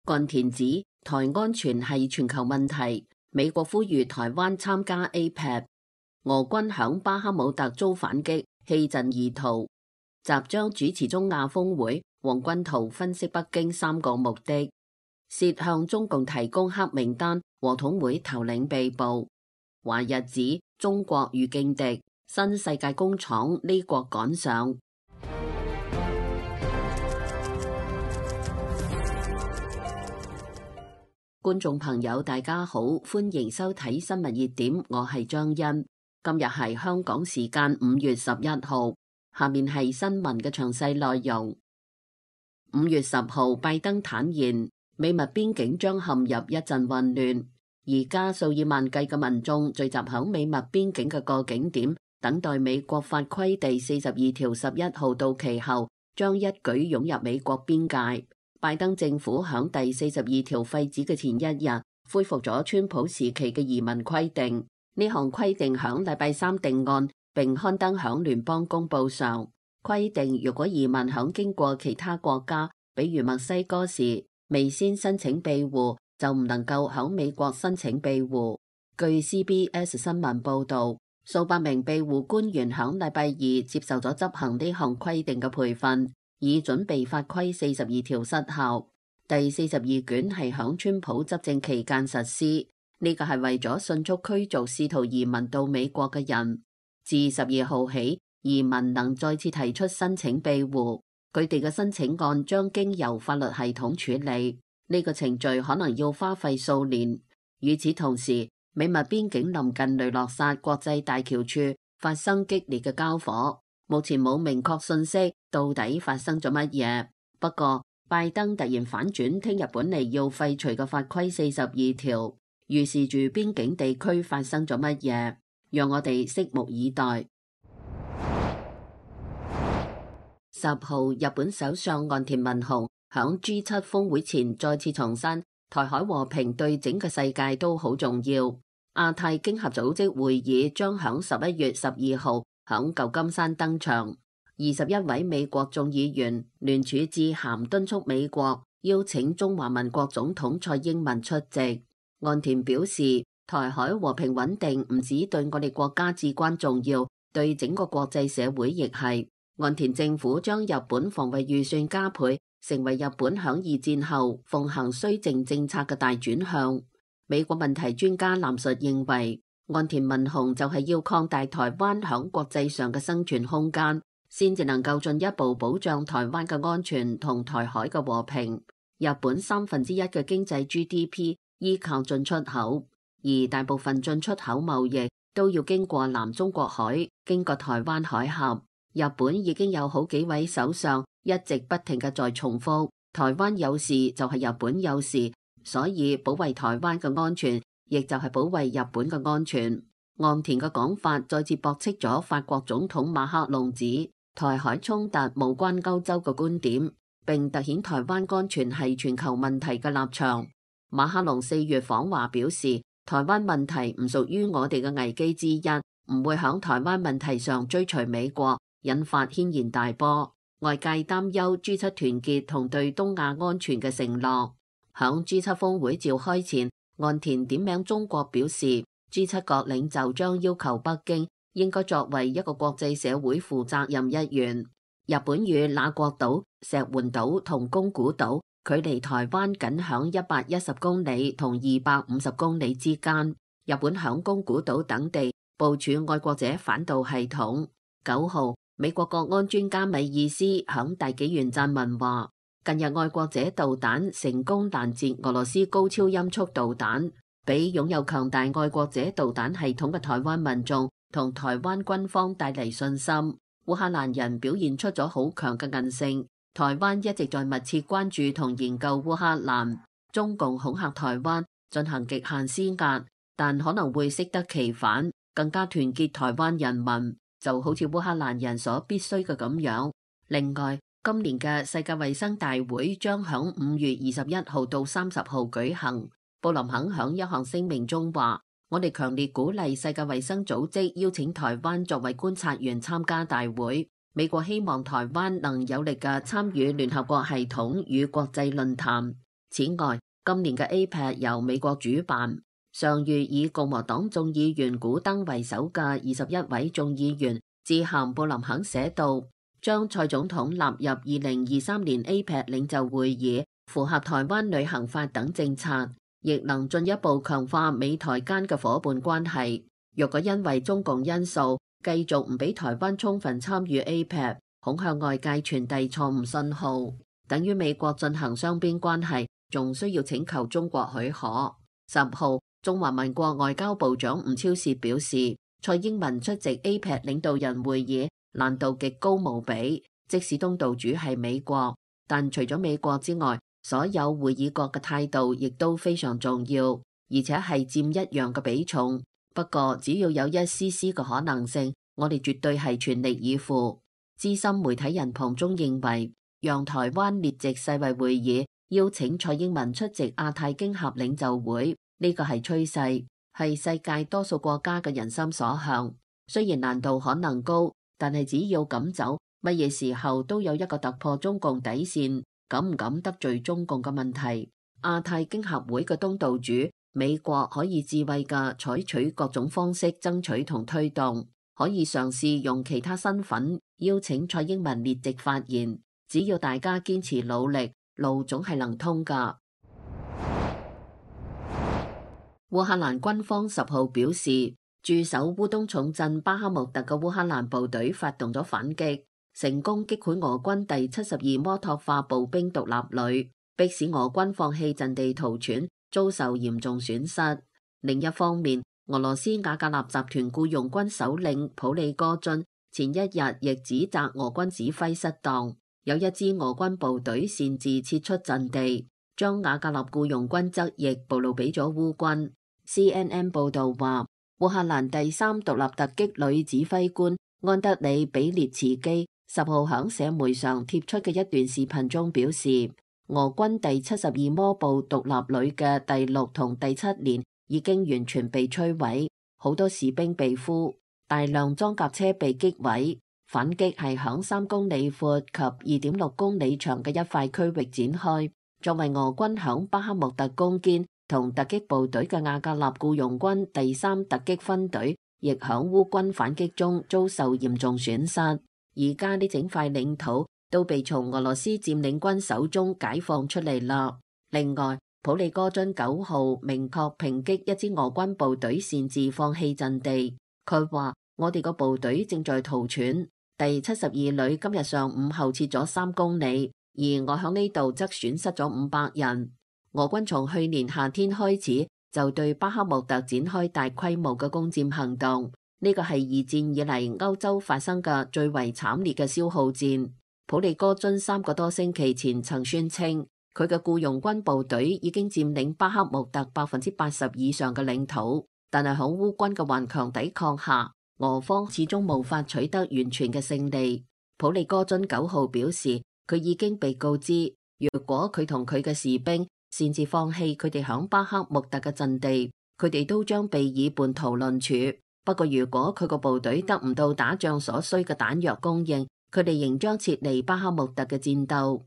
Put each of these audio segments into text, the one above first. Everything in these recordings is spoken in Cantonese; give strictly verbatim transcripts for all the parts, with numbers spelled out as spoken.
岸田指台安全係全球問題，美國呼籲台灣參加 A P E C。 俄軍響巴克姆特遭反擊，棄陣而逃。習將主持中亞峰會，黃軍濤分析北京三個目的，涉向中共提供黑名單，和統會頭領被捕。華日指中國遇勁敵，新世界工廠呢國趕上。觀眾朋友大家好，歡迎收睇新聞熱點，我係張欣。今日係香港時間五月十一號，下面係新聞嘅詳細內容。五月十號，拜登坦言美墨邊境將陷入一陣混亂，而家數以萬計嘅民眾聚集響美墨邊境嘅各景點，等待美國法規第四十二條十一號到期後，將一舉湧入美國邊界。拜登政府響第四十二條廢止嘅前一日，恢復咗川普時期嘅移民規定。呢項規定響禮拜三定案，並刊登響聯邦公報上，規定如果移民響經過其他國家，比如墨西哥時，未先申請庇護，就唔能夠響美國申請庇護。據 C B S 新聞報道，數百名庇護官員響禮拜二接受咗執行呢項規定嘅培訓，以準備法規四十二條失效。第四十二卷係響川普執政期間實施，呢個係為咗迅速驅逐試圖移民到美國嘅人。自十二號起，移民能再次提出申請庇護，佢哋嘅申請案將經由法律系統處理，呢個程序可能要花費數年。與此同時，美墨邊境臨近雷諾薩國際大橋處發生激烈嘅交火，目前冇明確信息到底發生咗乜嘢。不過拜登突然反轉，聽日本嚟要廢除嘅法規四十二條，預示住邊境地區發生咗乜嘢，讓我哋拭目以待。十號，日本首相岸田文雄響 G 七峰會前再次重申，台海和平對整個世界都好重要。亞太經合組織會議將響十一月十二號響舊金山登場，二十一位美國眾議員聯署致函敦促美國邀請中華民國總統蔡英文出席。岸田表示，台海和平穩定唔止對我哋國家至關重要，對整個國際社會亦係。岸田政府將日本防衛預算加倍，成為日本響二戰後奉行綏靖政策嘅大轉向。美國問題專家藍述認為，岸田文雄就係要擴大台灣響國際上嘅生存空間，先至能夠進一步保障台灣嘅安全同台海嘅和平。日本三分之一嘅經濟 G D P 依靠進出口，而大部分進出口貿易都要經過南中國海，經過台灣海峽。日本已經有好幾位首相一直不停嘅在重複，台灣有事就係日本有事。所以保衛台灣嘅安全，亦就係保衛日本嘅安全。岸田嘅講法再次駁斥咗法國總統馬克龍指台海衝突無關歐洲嘅觀點，並凸顯台灣安全係全球問題嘅立場。馬克龍四月訪華表示，台灣問題唔屬於我哋嘅危機之一，唔會響台灣問題上追隨美國，引發軒然大波。外界擔憂 G 七團結同對東亞安全嘅承諾。響 G 七峰會召開前，岸田點名中國表示 G 七國領袖將要求北京應該作為一個國際社會負責任一員。日本與那國島、石垣島同宮古島距離台灣僅響一百一十公里同二百五十公里之間。日本響宮古島等地部署愛國者反導系統。九號，美國國安專家米爾斯響大紀元撰文話，近日愛國者導彈成功攔截俄羅斯高超音速導彈，俾擁有強大愛國者導彈系統嘅台灣民眾同台灣軍方帶嚟信心。烏克蘭人表現出咗好強嘅韌性，台灣一直在密切關注同研究烏克蘭。中共恐嚇台灣進行極限施壓，但可能會適得其反，更加團結台灣人民，就好似烏克蘭人所必須嘅咁樣。另外，今年嘅世界衛生大會將響五月二十一號到三十號舉行。布林肯響一項聲明中話，我哋強烈鼓勵世界衛生組織邀請台灣作為觀察員參加大會。美國希望台灣能有力嘅參與聯合國系統與國際論壇。此外，今年嘅 A P E C 由美國主辦，上月以共和黨眾議員古登為首嘅二十一位眾議員致函布林肯寫道，將蔡總統納入二零二三年 A P E C 領袖會議，符合台灣旅行法等政策，亦能進一步強化美台間嘅夥伴關係。若果因為中共因素繼續唔俾台灣充分參與 A P E C， 恐向外界傳遞錯誤信號，等於美國進行雙邊關係仲需要請求中國許可。十號，中華民國外交部長吳釗燮表示，蔡英文出席 A P E C 領導人會議難度極高無比，即使東道主係美國，但除咗美國之外，所有會議國嘅態度亦都非常重要，而且係佔一樣嘅比重。不過只要有一絲絲嘅可能性，我哋絕對係全力以赴。資深媒體人龐中認為，讓台灣列席世衛會議，邀請蔡英文出席亞太經合領袖會，呢個係趨勢，係世界多數國家嘅人心所向。雖然難度可能高，但係只要敢走，乜嘢時候都有一個突破中共底線，敢唔敢得罪中共嘅問題。亞太經合會嘅東道主美國可以智慧嘅採取各種方式爭取同推動，可以嘗試用其他身份邀請蔡英文列席發言。只要大家堅持努力，路總係能通㗎。烏克蘭軍方十號表示，駐守烏東重鎮巴克穆特嘅烏克蘭部隊發動咗反擊，成功擊潰俄軍第七十二摩托化步兵獨立旅，迫使俄軍放棄陣地逃竄，遭受嚴重損失。另一方面，俄羅斯瓦格納集團僱傭軍首領普利戈津前一日亦指責俄軍指揮失當，有一支俄軍部隊擅自撤出陣地，將瓦格納僱傭軍側翼暴露俾咗烏軍。C N N 報道話，烏克蘭第三獨立突擊旅指揮官安德里比列茨基十號響社媒上貼出嘅一段視頻中表示，俄軍第七十二摩步獨立旅嘅第六同第七連已經完全被摧毀，好多士兵被俘，大量裝甲車被擊毀。反擊係響三公里闊及二點六公里長嘅一塊區域展開。作為俄軍響巴克穆特攻堅同突擊部隊嘅瓦格納僱傭軍第三突擊分隊，亦響烏軍反擊中遭受嚴重損失。而家呢整塊領土都被從俄羅斯佔領軍手中解放出嚟啦。另外，普利戈津九號明確抨擊一支俄軍部隊擅自放棄陣地。佢話：我哋個部隊正在逃竄，第七十二旅今日上午後撤咗三公里，而我響呢度則損失咗五百人。俄軍從去年夏天開始就對巴克穆特展開大規模嘅攻佔行動，呢個係二戰以嚟歐洲發生嘅最為慘烈嘅消耗戰。普利戈津三個多星期前曾宣稱，佢嘅僱傭軍部隊已經佔領巴克穆特百分之八十以上嘅領土，但係喺烏軍嘅頑強抵抗下，俄方始終無法取得完全嘅勝利。普利戈津九號表示，佢已經被告知，如果佢同佢嘅士兵擅自放棄佢哋響巴克穆特嘅陣地，佢哋都將被以叛徒論處。不過如果佢個部隊得唔到打仗所需嘅彈藥供應，佢哋仍將撤離巴克穆特嘅戰鬥。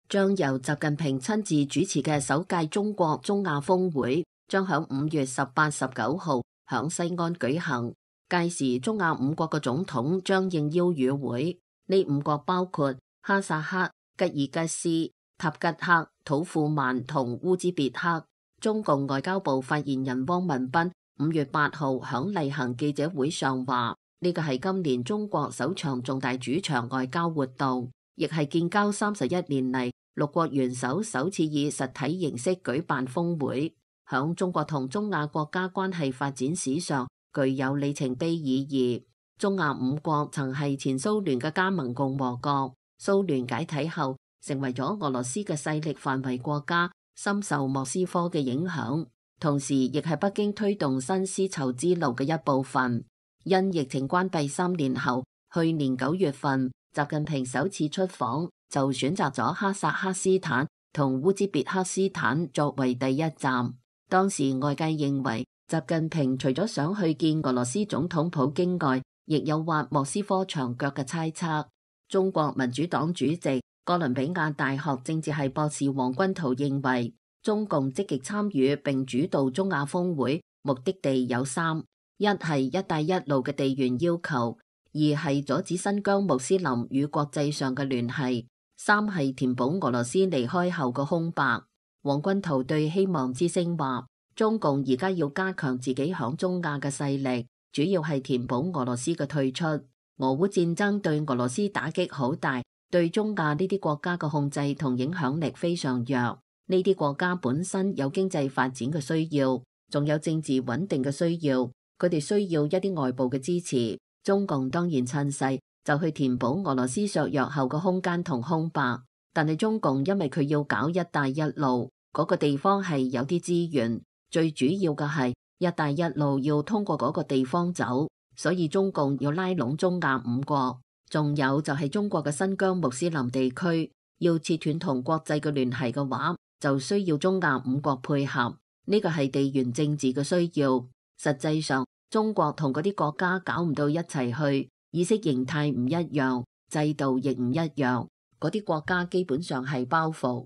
將由習近平親自主持嘅首屆中國中亞峰會將響五月十八、十九號響西安舉行。屆時中亞五國嘅總統將應邀與會，呢五國包括哈薩克、吉爾吉斯、塔吉克、土庫曼同烏茲別克。中共外交部發言人汪文斌五月八號響例行記者會上話，呢個係今年中國首場重大主場外交活動，亦係建交三十一年嚟六國元首首次以實體形式舉辦峰會，響中國同中亞國家關係發展史上具有里程碑意義。中亞五國曾係前蘇聯嘅加盟共和國，蘇聯解體後成為咗俄羅斯嘅勢力範圍國家，深受莫斯科嘅影響，同時亦係北京推動新絲綢之路嘅一部分。因疫情關閉三年後，去年九月份，習近平首次出訪，就選擇咗哈薩克斯坦同烏茲別克斯坦作為第一站。當時外界認為，習近平除咗想去見俄羅斯總統普京外，亦有挖莫斯科牆腳嘅猜測。中國民主黨主席、哥倫比亞大學政治系博士黃君濤認為，中共積極參與並主導中亞峰會，目的地有三：一係一帶一路嘅地緣要求，二係阻止新疆穆斯林與國際上嘅聯繫，三係填補俄羅斯離開後嘅空白。黃君濤對希望之聲話，中共而家要加強自己響中亞嘅勢力，主要係填補俄羅斯嘅退出。俄烏戰爭對俄羅斯打擊好大，對中亞呢啲國家嘅控制同影響力非常弱。呢啲國家本身有經濟發展嘅需要，仲有政治穩定嘅需要，佢哋需要一啲外部嘅支持。中共當然趁勢就去填補俄羅斯削弱後嘅空間同空白。但係中共因為佢要搞一帶一路，嗰個地方係有啲資源，最主要嘅係一帶一路要通過嗰個地方走，所以中共要拉攏中亞五國。仲有就係中國嘅新疆穆斯林地區，要切斷同國際嘅聯繫嘅話，就需要中亞五國配合，呢個係地緣政治嘅需要。實際上，中國同嗰啲國家搞唔到一齊去，意識形態唔一樣，制度亦唔一樣，嗰啲國家基本上係包袱。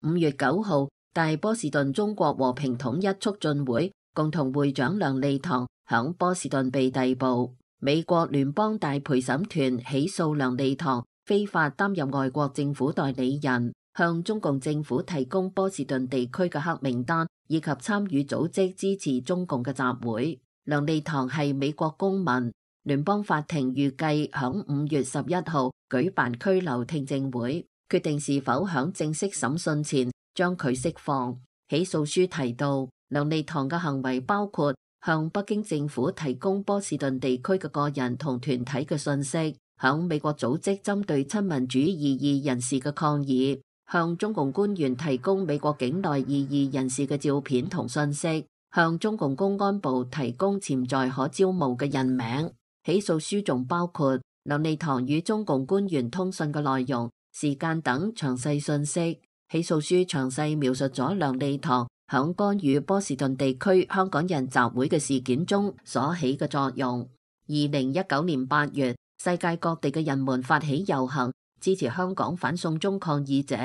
五月九號，大波士頓中國和平統一促進會共同會長梁利堂響波士頓被逮捕，美國聯邦大陪審團起訴梁利堂非法擔任外國政府代理人，向中共政府提供波士頓地區嘅黑名單，以及參與組織支持中共嘅集會。梁利堂係美國公民，聯邦法庭預計響五月十一號舉辦拘留聽證會，決定是否響正式審訊前將佢釋放。起訴書提到，梁利堂嘅行為包括向北京政府提供波士頓地區嘅個人同團體嘅信息，向美國組織針對親民主異議人士嘅抗議，向中共官員提供美國境內異議人士嘅照片同信息，向中共公安部提供潛在可招募嘅人名。起訴書仲包括梁利堂與中共官員通訊嘅內容、時間等詳細信息。起訴書詳細描述咗梁利堂響干預波士頓地區香港人集會嘅事件中所起嘅作用。二零一九年八月，世界各地嘅人們發起遊行，支持香港反送中抗議者，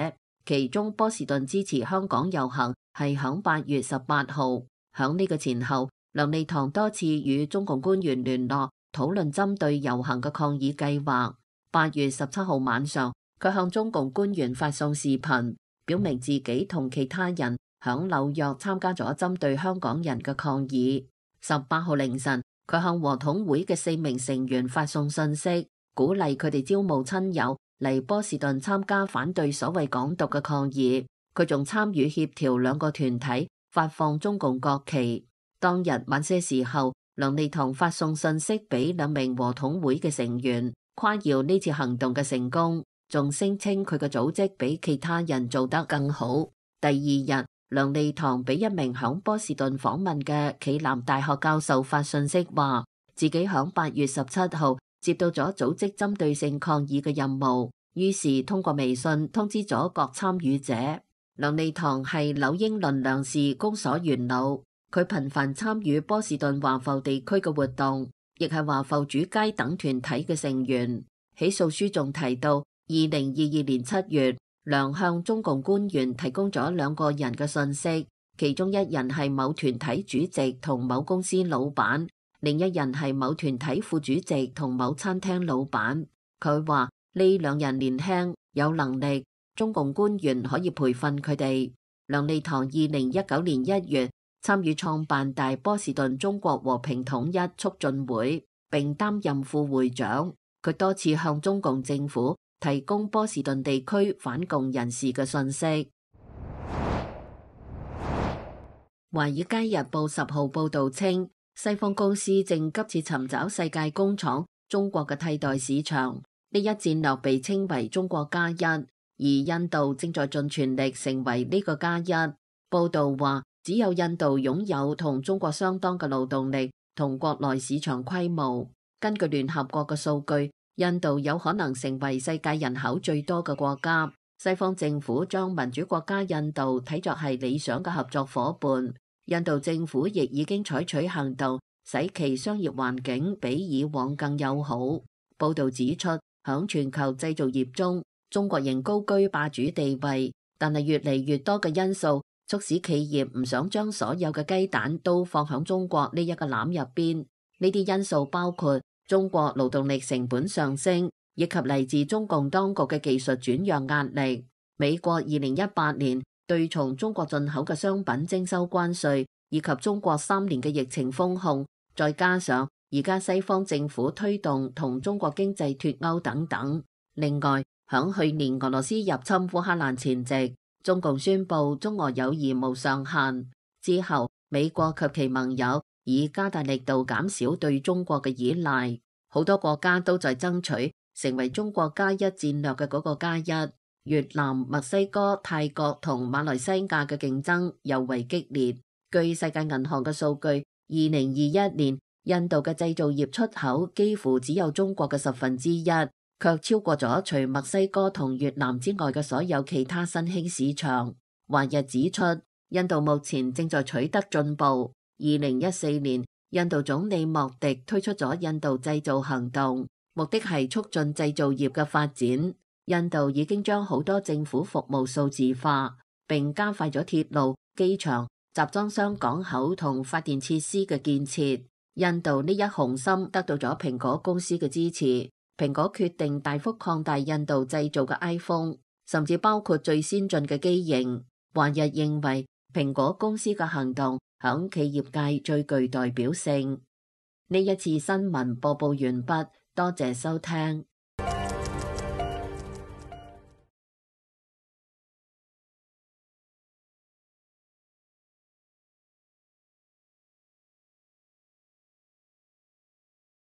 其中波士頓支持香港遊行係響八月十八號。響呢個前後，梁利堂多次與中共官員聯絡，討論針對遊行嘅抗議計劃。八月十七號晚上，佢向中共官員發送視頻，表明自己同其他人響紐約參加咗針對香港人嘅抗議。十八號凌晨，佢向和統會嘅四名成員發送信息，鼓勵佢哋招募親友嚟波士頓參加反對所謂港獨嘅抗議。佢仲參與協調兩個團體發放中共國旗。當日晚些時候，梁利堂發送信息俾兩名和統會嘅成員，誇耀呢次行動嘅成功，仲聲稱佢嘅組織比其他人做得更好。第二日，梁利堂俾一名響波士頓訪問嘅暨南大學教授發信息，話自己響八月十七號接到咗組織針對性抗議嘅任務，於是通過微信通知咗各參與者。梁利堂係紐英倫糧食公所元老，佢頻繁參與波士頓華埠地區嘅活動，亦係華埠主街等團體嘅成員。起訴書仲提到，二零二二年七月，梁向中共官員提供咗兩個人嘅信息，其中一人係某團體主席同某公司老闆，另一人係某團體副主席同某餐廳老闆。佢話呢兩人年輕有能力，中共官員可以培訓佢哋。梁利堂二零一九年一月參與創辦大波士頓中國和平統一促進會，並擔任副會長。佢多次向中共政府提供波士頓地區反共人士嘅信息。《華爾街日報》十號報導稱，西方公司正急切尋找世界工廠中國嘅替代市場，呢一戰略被稱為中國加一，而印度正在盡全力成為呢個加一。報導話，只有印度擁有同中國相當嘅勞動力同國內市場規模。根據聯合國嘅數據，印度有可能成為世界人口最多嘅國家。西方政府將民主國家印度睇作係理想嘅合作夥伴。印度政府亦已經採取行動，使其商業環境比以往更友好。報導指出，響全球製造業中，中國仍高居霸主地位，但係越嚟越多嘅因素促使企業唔想將所有嘅雞蛋都放響中國呢一個籃入邊。呢啲因素包括中國勞動力成本上升，以及嚟自中共當局嘅技術轉讓壓力。美國二零一八年對從中國進口嘅商品徵收關稅，以及中國三年嘅疫情封控，再加上而家西方政府推動同中國經濟脫鈎等等。另外，響去年俄羅斯入侵烏克蘭前夕，中共宣布中俄友誼無上限之後，美國及其盟友以加大力度減少對中國嘅依賴，好多國家都在爭取成為中國加一戰略嘅嗰個加一。越南、墨西哥、泰國同馬來西亞嘅競爭尤為激烈。據世界銀行嘅數據，二零二一年印度嘅製造業出口幾乎只有中國嘅十分之一，卻超過咗除墨西哥同越南之外嘅所有其他新興市場。華日指出，印度目前正在取得進步。二零一四年，印度總理莫迪推出咗印度製造行動，目的係促進製造業嘅發展。印度已經將好多政府服務數字化，並加快咗鐵路、機場、集裝箱港口同發電設施嘅建設。印度呢一雄心得到咗蘋果公司嘅支持，蘋果決定大幅擴大印度製造嘅 iPhone， 甚至包括最先進嘅機型。華日認為蘋果公司嘅行動響企業界最具代表性。呢一次新聞播報完畢，多謝收聽。